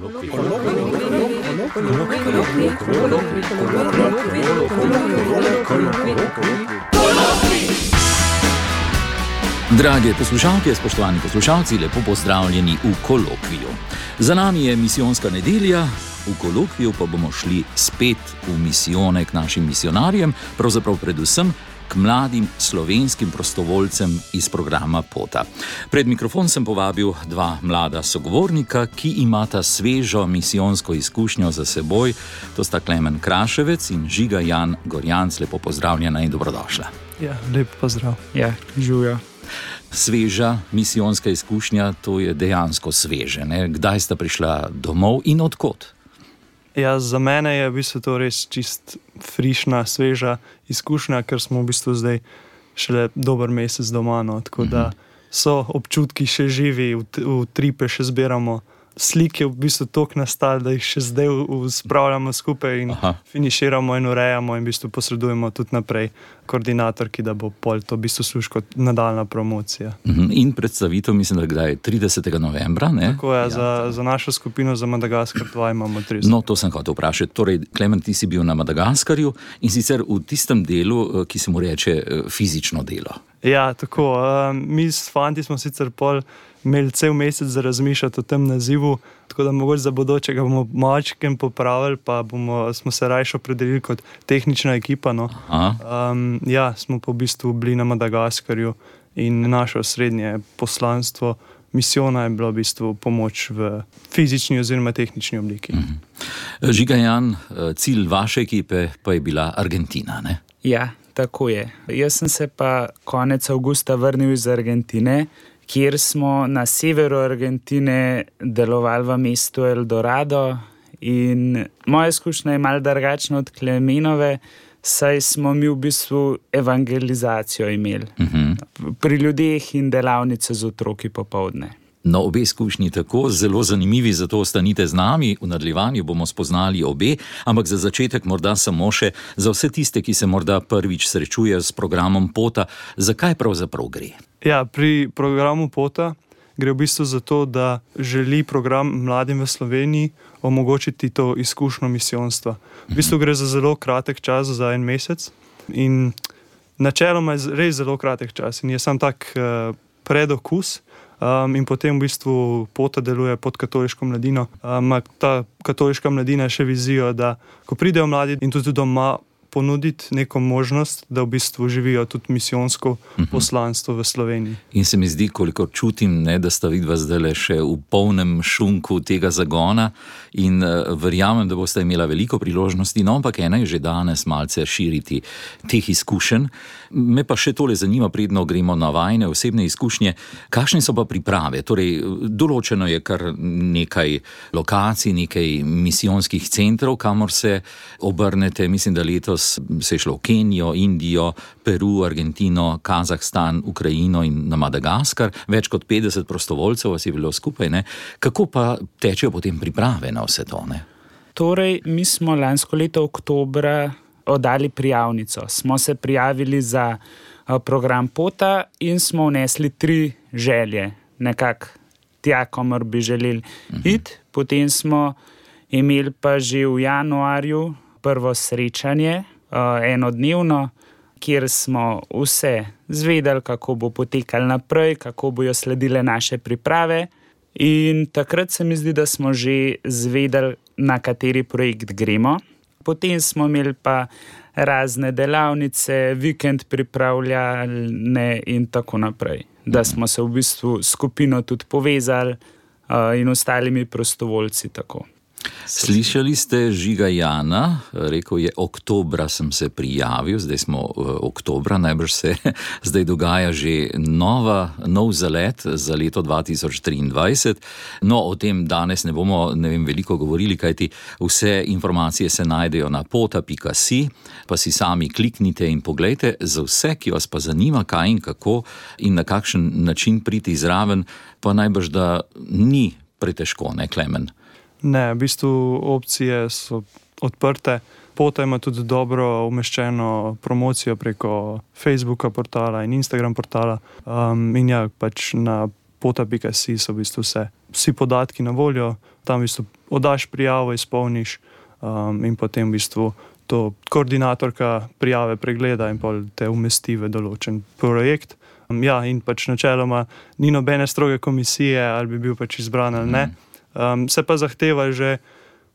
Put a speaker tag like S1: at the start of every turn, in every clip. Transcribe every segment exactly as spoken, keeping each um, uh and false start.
S1: Drage poslušalke, spoštovani poslušalci, lepo pozdravljeni v kolokviju. Za nami je misijonska nedelja, v kolokviju pa bomo šli spet v misijone k našim misionarjem, pravzaprav predvsem k mladim slovenskim prostovoljcem iz programa Pota. Pred mikrofon sem povabil dva mlada sogovornika, ki imata svežo misijonsko izkušnjo za seboj. To sta Klemen Kraševec in Žiga Jan Gorjanc. Lepo pozdravljena in dobrodošla.
S2: Ja, lep pozdrav.
S3: Ja, živijo.
S1: Sveža misijonska izkušnja, to je dejansko sveže, ne? Kdaj sta prišla domov in od kod?
S2: Ja, za mene je v bistvu to res čist frišna, sveža izkušnja, ker smo v bistvu zdaj šele dober mesec doma, no, tako da so občutki še živi, v, v tripe še zbiramo. Slike v bistvu toliko nastali, da jih še zdaj spravljamo skupaj in Aha. finiširamo in urejamo in v bistvu posredujemo tudi naprej koordinatorki, da bo pol to v bistvu služ kot nadaljna promocija.
S1: In predstavitev, mislim, da kdaj je tridesetega novembra, ne?
S2: Tako je, ja, za, za našo skupino za Madagaskar dva imamo trideset.
S1: No, to sem hotel vprašati. Torej, Klemen, ti si bil na Madagaskarju in sicer v tistem delu, ki se mu reče fizično delo.
S2: Ja, tako. Mi s fanti smo sicer pol imeli cel mesec za razmišljati o tem nazivu, tako da mogoče za bodoče ga bomo malčkem popravili, pa bomo, smo se rajše opredelili kot tehnična ekipa. No. Um, ja, smo pa v bistvu bili na Madagaskarju in naše osrednje poslanstvo misijona je bilo v bistvu pomoč v fizični oziroma tehnični obliki.
S1: Mm-hmm. Žiga Jan, cilj vaše ekipe pa je bila Argentina, ne?
S3: Ja, tako je. Jaz sem se pa konec avgusta vrnil iz Argentine, kjer smo na severu Argentine delovali v mestu El Dorado in moja izkušnja je malo drugačna od Klemenove, saj smo mi v bistvu evangelizacijo imeli. Uh-huh. Pri ljudeh in delavnice z otroki popoldne.
S1: No, obe izkušnji tako, zelo zanimivi, zato ostanite z nami, v nadaljevanju bomo spoznali obe, ampak za začetek morda samo še za vse tiste, ki se morda prvič srečujejo s programom Pota, zakaj pravzaprav gre?
S2: Ja, pri programu Pota gre v bistvu za to, da želi program mladim v Sloveniji omogočiti to izkušnjo misijonstva. V bistvu gre za zelo kratek čas, za en mesec in načeloma je res zelo kratek čas in je sam tak uh, predokus. Um, in potem v bistvu Pota deluje pod katoliško mladino. Um, ta katoliška mladina še vizijo, da ko pridejo mladi in tudi doma ponuditi neko možnost, da v bistvu živijo tudi misijonsko poslanstvo v Sloveniji.
S1: In se mi zdi, koliko čutim, ne, da sta vidva zdaj še v polnem šunku tega zagona in uh, verjamem, da boste imela veliko priložnosti, no, ampak ena je že danes malce širiti teh izkušenj. Me pa še tole zanima, predno gremo na vajne osebne izkušnje. Kakšne so pa priprave? Torej, določeno je kar nekaj lokacij, nekaj misijonskih centrov, kamor se obrnete. Mislim, da letos se je šlo v Kenijo, Indijo, Peru, Argentino, Kazahstan, Ukrajino in na Madagaskar. Več kot petdeset prostovoljcev vas je bilo skupaj, ne? Kako pa tečejo potem priprave na vse to, ne?
S3: Torej, mi smo lansko leto oktobra oddali prijavnico. Smo se prijavili za program Pota in smo vnesli tri želje, nekako tja, kamor bi želeli iti. Potem smo imeli pa že v januarju prvo srečanje, enodnevno, kjer smo vse zvedeli, kako bo potekalo naprej, kako bojo sledile naše priprave. In takrat se mi zdi, da smo že zvedeli, na kateri projekt gremo. Potem smo imeli pa razne delavnice, vikend pripravljane in tako naprej. Da smo se v bistvu skupino tudi povezali uh, in ostalimi prostovoljci tako.
S1: Slišali ste Žiga Jana, rekel je, oktobra sem se prijavil, zdaj smo uh, oktobra, najbrž se zdaj dogaja že nova, nov zalet za leto dva tisoč triindvajset. No, o tem danes ne bomo, ne vem, veliko govorili, kajti vse informacije se najdejo na pota pika si, pa si sami kliknite in poglejte. Za vse, ki vas pa zanima, kaj in kako in na kakšen način priti zraven, pa najbrž, da ni pretežko, ne, Klemen?
S2: Ne, v bistvu opcije so odprte. Pota ima tudi dobro umeščeno promocijo preko Facebooka portala in Instagram portala. Um, in ja, pač na pota pika si so v bistvu vse. Vsi podatki na voljo, tam v bistvu oddaš prijavo, izpolniš um, in potem v bistvu to koordinatorka prijave pregleda in pol te umesti v določen projekt. Um, ja, in pač načeloma ni nobene stroge komisije, ali bi bil pač izbran ali ne. Um, se pa zahteva že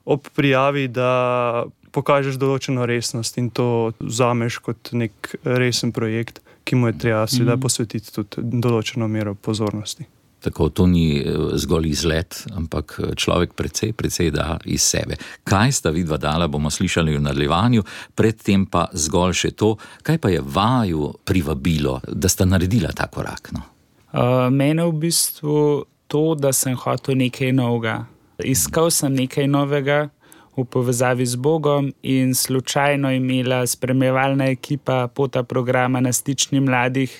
S2: ob prijavi, da pokažeš določeno resnost in to vzameš kot nek resen projekt, ki mu je treba seveda posvetiti tudi določeno mero pozornosti.
S1: Tako, to ni zgolj izlet, ampak človek precej, precej da iz sebe. Kaj sta vidva dala, bomo slišali v nadaljevanju, predtem pa zgolj še to, kaj pa je vaju privabilo, da sta naredila ta korak? No?
S3: Uh, mene v bistvu to, da sem hotel nekaj novega. Iskal sem nekaj novega v povezavi z Bogom in slučajno imela spremljevalna ekipa Pota programa na Stični mladih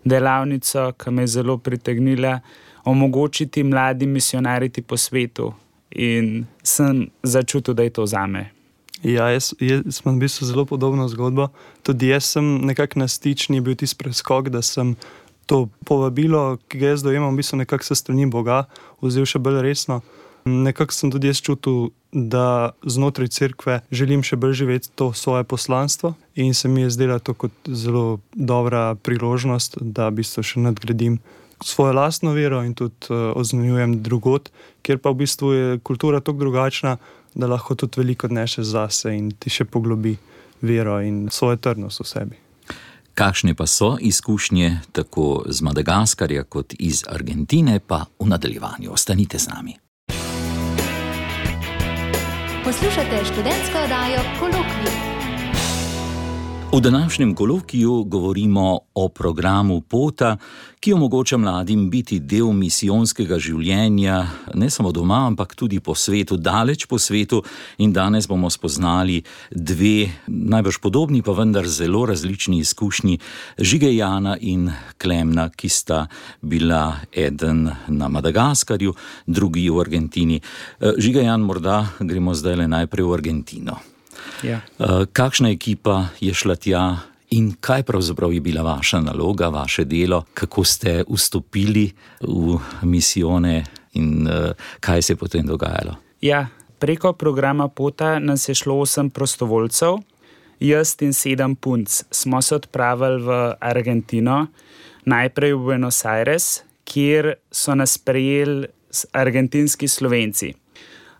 S3: delavnico, ki me je zelo pritegnila, omogočiti mladim misionariti po svetu in sem začutil, da je to zame.
S2: Ja, jaz, jaz imam v bistvu zelo podobno zgodbo. Tudi jaz sem nekako na Stični bil tisti preskok, da sem to povabilo, ki ga jaz dojemam v bistvu nekako se strani Boga, vzel še bolj resno. Nekako sem tudi jaz čutil, da znotraj cerkve želim še bolj živeti to svoje poslanstvo in se mi je zdela to kot zelo dobra priložnost, da v bistvu še nadgradim svojo lastno vero in tudi uh, oznanjujem drugot, kjer pa v bistvu je kultura tako drugačna, da lahko tudi veliko odnešeš zase in ti še poglobi vero in svojo trdnost v sebi.
S1: Kakšne pa so izkušnje tako z Madagaskarja kot iz Argentine, pa v nadaljevanju. Ostanite z nami.
S4: Poslušate študentsko oddajo Kolokvij.
S1: V današnjem kolokviju govorimo o programu Pota, ki omogoča mladim biti del misijonskega življenja, ne samo doma, ampak tudi po svetu, daleč po svetu. In danes bomo spoznali dve, najbrž podobni, pa vendar zelo različni izkušnji, Žige Jana in Klemna, ki sta bila eden na Madagaskarju, drugi v Argentini. Žige Jan, morda gremo zdaj le najprej v Argentino.
S3: Ja.
S1: Kakšna ekipa je šla tja in kaj pravzaprav je bila vaša naloga, vaše delo, kako ste vstopili v misijone in kaj se je potem dogajalo?
S3: Ja, preko programa Pota nas je šlo osem prostovoljcev, jaz in sedem punc. Smo se odpravili v Argentino, najprej v Buenos Aires, kjer so nas sprejeli argentinski Slovenci.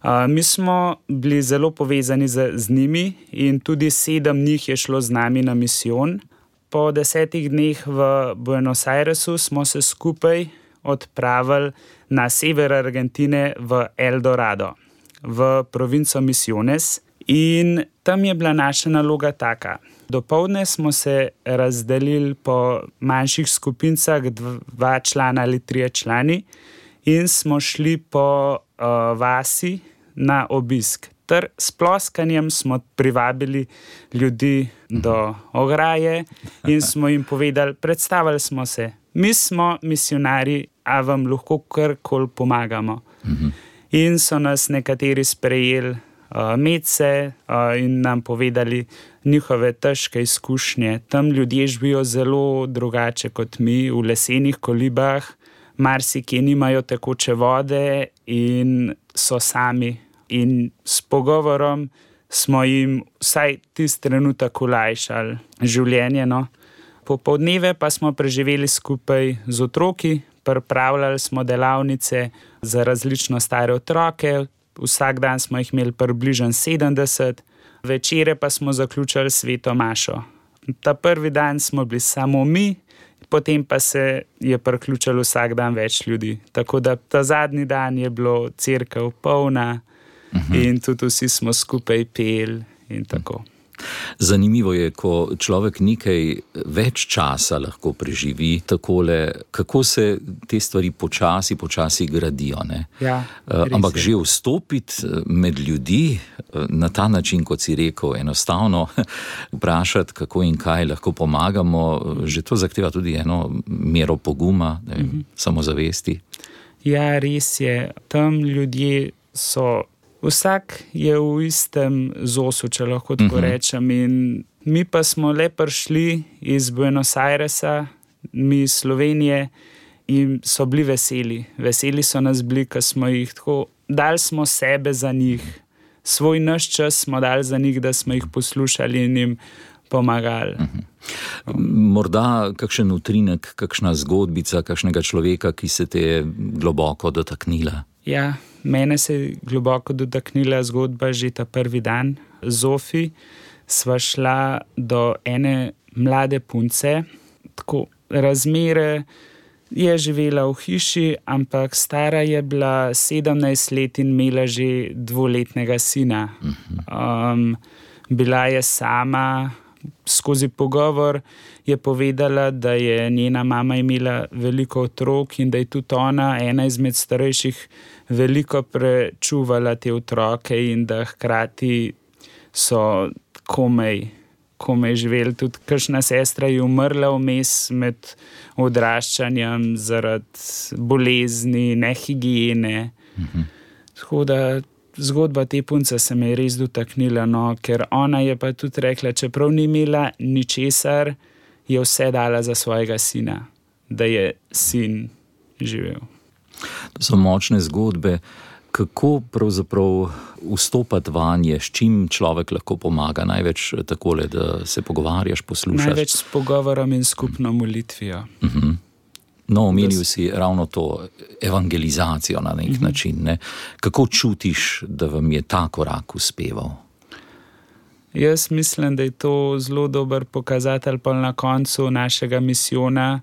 S3: Uh, mi smo bili zelo povezani z, z njimi in tudi sedem njih je šlo z nami na misijon. Po desetih dneh v Buenos Airesu smo se skupaj odpravili na sever Argentine v El Dorado, v provinco Misiones, in tam je bila naša naloga taka. Dopoldne smo se razdelili po manjših skupincah, dva člana ali trije člani, in smo šli po uh, vasi na obisk. Ter s ploskanjem smo privabili ljudi do ograje in smo jim povedali, predstavili smo se, mi smo misionarji, a vam lahko karkoli pomagamo. In so nas nekateri sprejeli uh, medse uh, in nam povedali njihove težke izkušnje. Tam ljudje živijo zelo drugače kot mi, v lesenih kolibah, marsikje nimajo tekoče vode in so sami. In s pogovorom smo jim vsaj tisti trenutek olajšali življenje. No. Popoldneve pa smo preživeli skupaj z otroki, pripravljali smo delavnice za različno stare otroke, vsak dan smo jih imeli približno sedemdeset, večere pa smo zaključili sveto mašo. Ta prvi dan smo bili samo mi, potem pa se je priključilo vsak dan več ljudi. Tako da ta zadnji dan je bilo cerkev polna, uh-huh. in tudi vsi smo skupaj peli in tako.
S1: Zanimivo je, ko človek nekaj več časa lahko preživi takole, kako se te stvari počasi, počasi gradijo. Ne?
S3: Ja,
S1: ampak že vstopiti med ljudi na ta način, kot si rekel, enostavno vprašati, kako in kaj lahko pomagamo, že to zahteva tudi eno mero poguma, ne vem, uh-huh. samozavesti.
S3: Ja, res je. Tam ljudje so... Vsak je v istem zosu, če lahko tako uh-huh. rečem. In mi pa smo le prišli iz Buenos Airesa, mi iz Slovenije, in so bili veseli. Veseli so nas bili, ker smo jih tako, dali smo sebe za njih, svoj naš čas smo dali za njih, da smo jih poslušali in jim pomagali.
S1: Morda kakšen utrinek, kakšna zgodbica, kakšnega človeka, ki se te je globoko dotaknila?
S3: Ja, mene se je globoko dotaknila zgodba že ta prvi dan. Zofi sva šla do ene mlade punce, tako razmere je živela v hiši, ampak stara je bila sedemnajst let in imela že dvoletnega sina. Um, bila je sama, skozi pogovor je povedala, da je njena mama imela veliko otrok in da je tudi ona, ena izmed starejših, veliko prečuvala te otroke in da hkrati so komaj, komaj živeli. Tudi kakšna sestra je umrla vmes med odraščanjem zaradi bolezni, nehigiene. Mhm. Tako da zgodba te punce se me je res dotaknila, no, ker ona je pa tudi rekla, čeprav ni imela ničesar, je vse dala za svojega sina, da je sin živel.
S1: To so močne zgodbe. Kako pravzaprav vstopati vanje, s čim človek lahko pomaga? Največ takole, da se pogovarjaš, poslušaš?
S3: Največ s pogovorom in skupno molitvijo.
S1: Uh-huh. No, omenil si ravno to evangelizacijo na nek uh-huh. način. Ne? Kako čutiš, da vam je ta korak uspeval?
S3: Jaz mislim, da je to zelo dober pokazatelj pa na koncu našega misijona,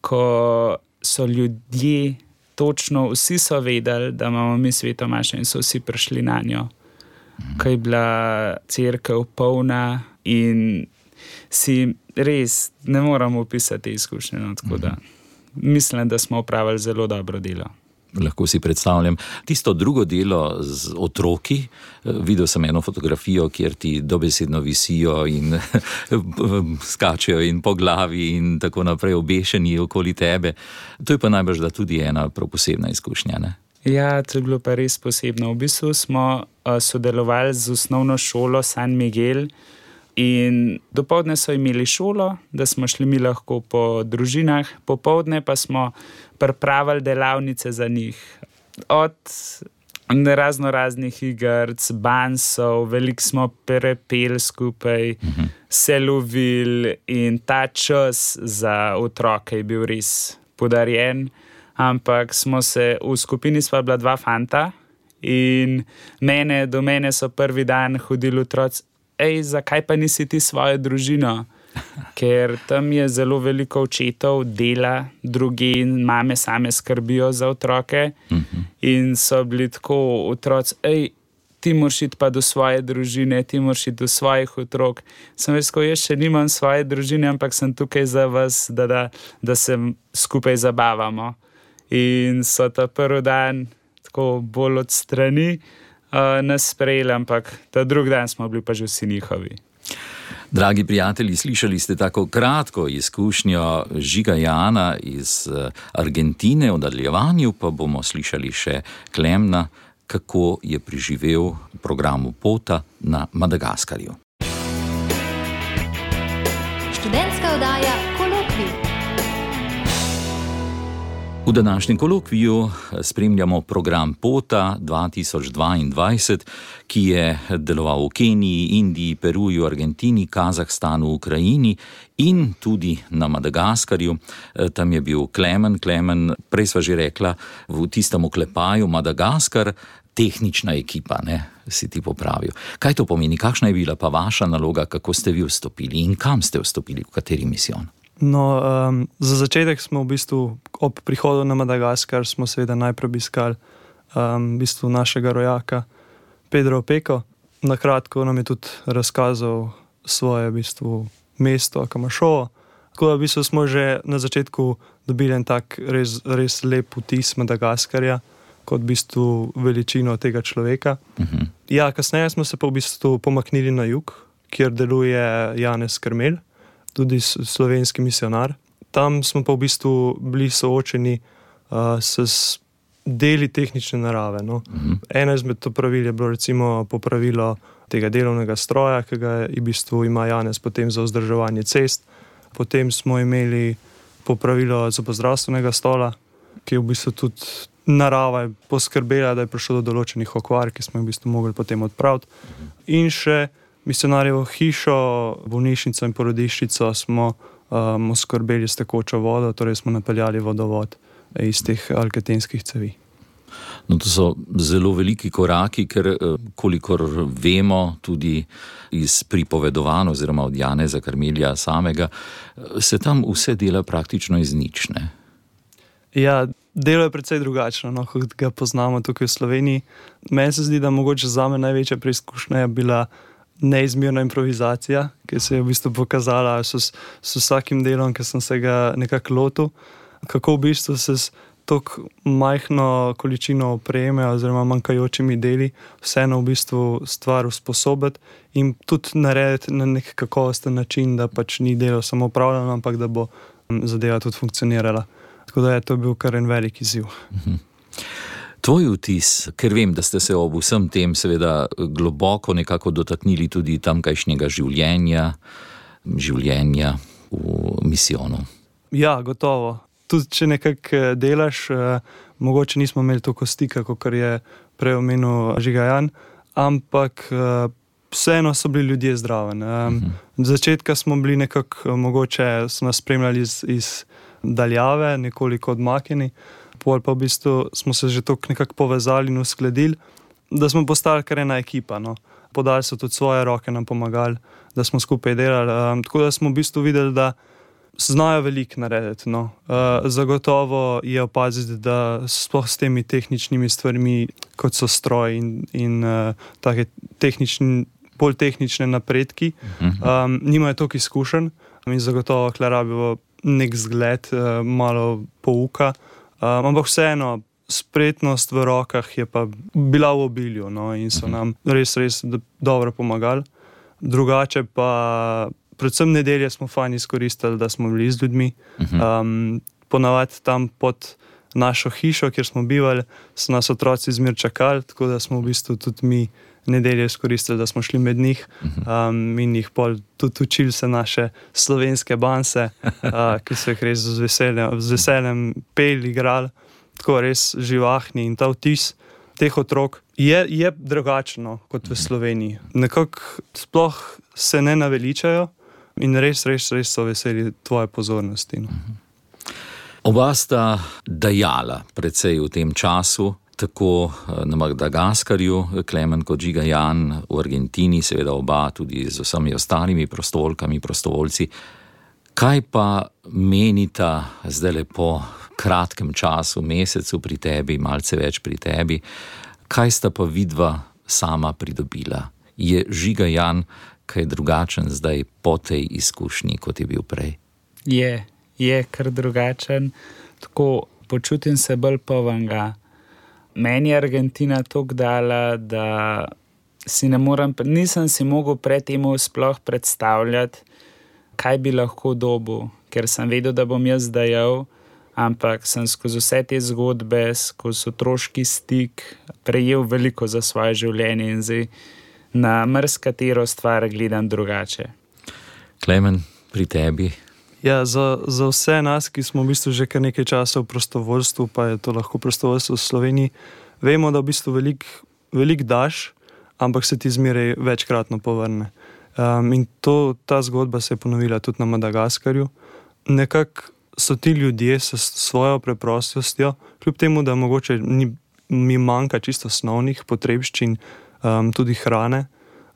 S3: ko so ljudje točno, vsi so vedeli, da imamo mi sveto mašo in so vsi prišli na njo. Mm. Ko je bila cerkev polna in si res ne moramo opisati izkušnje. No, tako mm. da mislim, da smo opravili zelo dobro delo.
S1: Lahko si predstavljam. Tisto drugo delo z otroki, videl sem eno fotografijo, kjer ti dobesedno visijo in skačejo in po glavi in tako naprej obešeni okoli tebe. To je pa najbrž da tudi ena prav posebna izkušnja, ne?
S3: Ja, to je bilo pa res posebno. V bistvu smo uh, sodelovali z osnovno šolo San Miguel in dopoldne so imeli šolo, da smo šli mi lahko po družinah, popoldne pa smo pripravili delavnice za njih. Od razno raznih igrc, bansov, veliko smo prepeli skupaj, uh-huh. se lovili in ta čas za otroke je bil res podarjen. Ampak smo se, v skupini sva bila dva fanta in mene, do mene so prvi dan hodili otroci, ej, zakaj pa nisi ti svojo družino? Ker tam je zelo veliko očetov, dela, drugi in mame same skrbijo za otroke. Uh-huh. In so bili tako otroci, ej, ti moraš iti pa do svoje družine, ti moraš iti do svojih otrok. Sem rekel, jaz še nimam svoje družine, ampak sem tukaj za vas, da, da, da se skupaj zabavamo. In so ta prvi dan tako bolj od strani uh, nas sprejeli, ampak ta drugi dan smo bili pa že vsi njihovi.
S1: Dragi prijatelji, slišali ste tako kratko izkušnjo Žiga Jana iz Argentine, v nadaljevanju pa bomo slišali še Klemna, kako je preživel v programu Pota na Madagaskarju.
S4: Študentska oddaja Kolokvij.
S1: V današnjem kolokviju spremljamo program Pota dva tisoč dvaindvajset, ki je deloval v Keniji, Indiji, Peruju, Argentini, Kazahstanu, Ukrajini in tudi na Madagaskarju. Tam je bil Klemen. Klemen, prej sva že rekla, v tistem oklepaju Madagaskar, tehnična ekipa, ne, si ti popravil. Kaj to pomeni? Kakšna je bila pa vaša naloga, kako ste vi vstopili in kam ste vstopili, v kateri misijon?
S2: No, um, za začetek smo v bistvu ob prihodu na Madagaskar smo seveda najprej obiskali um, v bistvu našega rojaka Pedro Opeko. Na kratko nam je tudi razkazal svoje v bistvu mesto Kamašovo. Tako da v bistvu smo že na začetku dobili en tak res, res lep vtis Madagaskarja kot v bistvu veličino tega človeka. Uh-huh. Ja, kasneje smo se pa v bistvu pomaknili na jug, kjer deluje Janez Krmelj, tudi slovenski misionar. Tam smo pa v bistvu bili soočeni uh, s deli tehnične narave. No. Uh-huh. Eno izmed to pravil je bilo recimo popravilo tega delovnega stroja, ki ga je v bistvu ima Janez potem za vzdrževanje cest. Potem smo imeli popravilo zobozdravstvenega stola, ki je v bistvu tudi narava poskrbela, da je prišlo do določenih okvar, ki smo jih v bistvu mogli potem odpraviti. In še misionarjevo hišo, bolnišnico in porodiščico smo um, oskrbeli s tekočo vodo, torej smo napeljali vodovod iz teh alkatenskih cevi.
S1: No, to so zelo veliki koraki, ker kolikor vemo tudi iz pripovedovanj oziroma od Janeza Karmelija samega, se tam vse dela praktično iz nič, ne?
S2: Ja, delo je precej drugačno, no, kot ga poznamo tukaj v Sloveniji. Meni se zdi, da mogoče zame največja preizkušnja je bila neizmerna improvizacija, ki se je v bistvu pokazala s, s vsakim delom, ki sem se ga nekako lotil, kako v bistvu se s tako majhno količino opreme oziroma manjkajočimi deli vseeno v bistvu stvar usposobiti in tudi narediti na nek kakovosten način, da pač ni delo samo upravljeno, ampak da bo zadeva tudi funkcionirala. Tako da je to bil kar en velik izziv.
S1: Mhm. Tvoj vtis, ker vem, da ste se ob vsem tem seveda globoko nekako dotaknili tudi tamkajšnjega življenja, življenja v misijonu.
S2: Ja, gotovo. Tudi če nekako delaš, eh, mogoče nismo imeli toliko stika, kot je prej omenil Žiga Jan, ampak eh, vseeno so bili ljudje zdravi. Um, uh-huh. Začetka smo bili nekako, mogoče so nas spremljali iz, iz daljave, nekoliko odmaknjeni, pol pa v bistvu smo se že toliko nekako povezali in uskladili, da smo postali kar ena ekipa. No. Podali so tudi svoje roke, nam pomagali, da smo skupaj delali. Um, tako da smo v bistvu videli, da znajo veliko narediti. No. Uh, zagotovo je opaziti, da sploh s temi tehničnimi stvarmi, kot so stroj in, in uh, take tehnični, bolj tehnične napredki, um, nimajo toliko izkušenj in zagotovo kle rabijo nek zgled, uh, malo pouka, um, ampak vseeno spretnost v rokah je pa bila v obilju, no, in so nam res, res dobro pomagali. Drugače pa predvsem nedelje smo fajn izkoristili, da smo bili z ljudmi. Um, ponavadi tam pod našo hišo, kjer smo bivali, so nas otroci zmer čakali, tako da smo v bistvu tudi mi nedelje izkoristili, da smo šli med njih um, in jih pol tudi učili se naše slovenske banse, uh, ki so jih res z veseljem, z veseljem peli, igrali, tako res živahni in ta vtis teh otrok je, je drugačno kot v Sloveniji. Nekako sploh se ne naveličajo, in res, res, res so veseli tvoje pozornosti. No.
S1: Oba sta dajala precej v tem času, tako na Madagaskarju, Klemen kot Žiga Jan, v Argentini, seveda oba tudi z vsemi ostalimi prostovoljkami, prostovoljci. Kaj pa menita zdaj po kratkem času, mesecu pri tebi, malce več pri tebi, kaj sta pa vidva sama pridobila? Je Žiga Jan kaj drugačen zdaj po tej izkušnji, kot je bil prej?
S3: Je, je kar drugačen. Tako počutim se bolj polnega. Meni je Argentina toliko dala, da si ne morem, nisem si mogel pred tem sploh predstavljati, kaj bi lahko dobil, ker sem vedel, da bom jaz dajal, ampak sem skozi vse te zgodbe, skozi otroški stik prejel veliko za svoje življenje in zdaj na marsikatero stvar gledam drugače.
S1: Klemen, pri tebi?
S2: Ja, za, za vse nas, ki smo v bistvu že kar nekaj časa v prostovoljstvu, pa je to lahko prostovoljstvo v Sloveniji, vemo, da v bistvu veliko velik daš, ampak se ti zmeraj večkratno povrne. Um, in to, ta zgodba se je ponovila tudi na Madagaskarju. Nekako so ti ljudje s svojo preprostostjo, kljub temu, da mogoče ni, mi manjka čisto osnovnih potrebščin, Um, tudi hrane,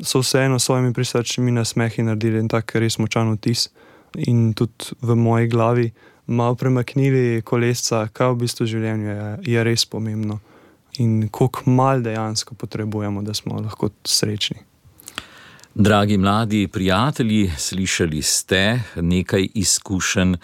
S2: so vseeno s svojimi prisrčnimi nasmehi naredili in tak res močan vtis. In tudi v moji glavi malo premaknili kolesca, kaj v bistvu življenju je, je res pomembno in koliko mal dejansko potrebujemo, da smo lahko srečni.
S1: Dragi mladi prijatelji, slišali ste nekaj izkušenj.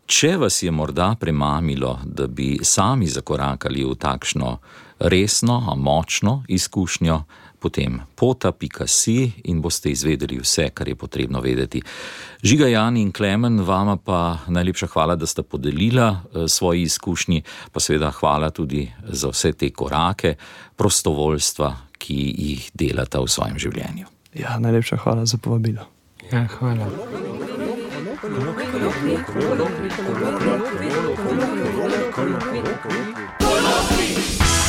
S1: Če vas je morda premamilo, da bi sami zakorakali v takšno resno, a močno izkušnjo, potem pota pika si in boste izvedeli vse, kar je potrebno vedeti. Žiga Jan in Klemen, vama pa najlepša hvala, da sta podelila svoji izkušnji, pa seveda hvala tudi za vse te korake prostovoljstva, ki jih delata v svojem življenju.
S2: Ja, najlepša hvala za povabilo.
S3: Ja, hvala.
S5: Kolokvij.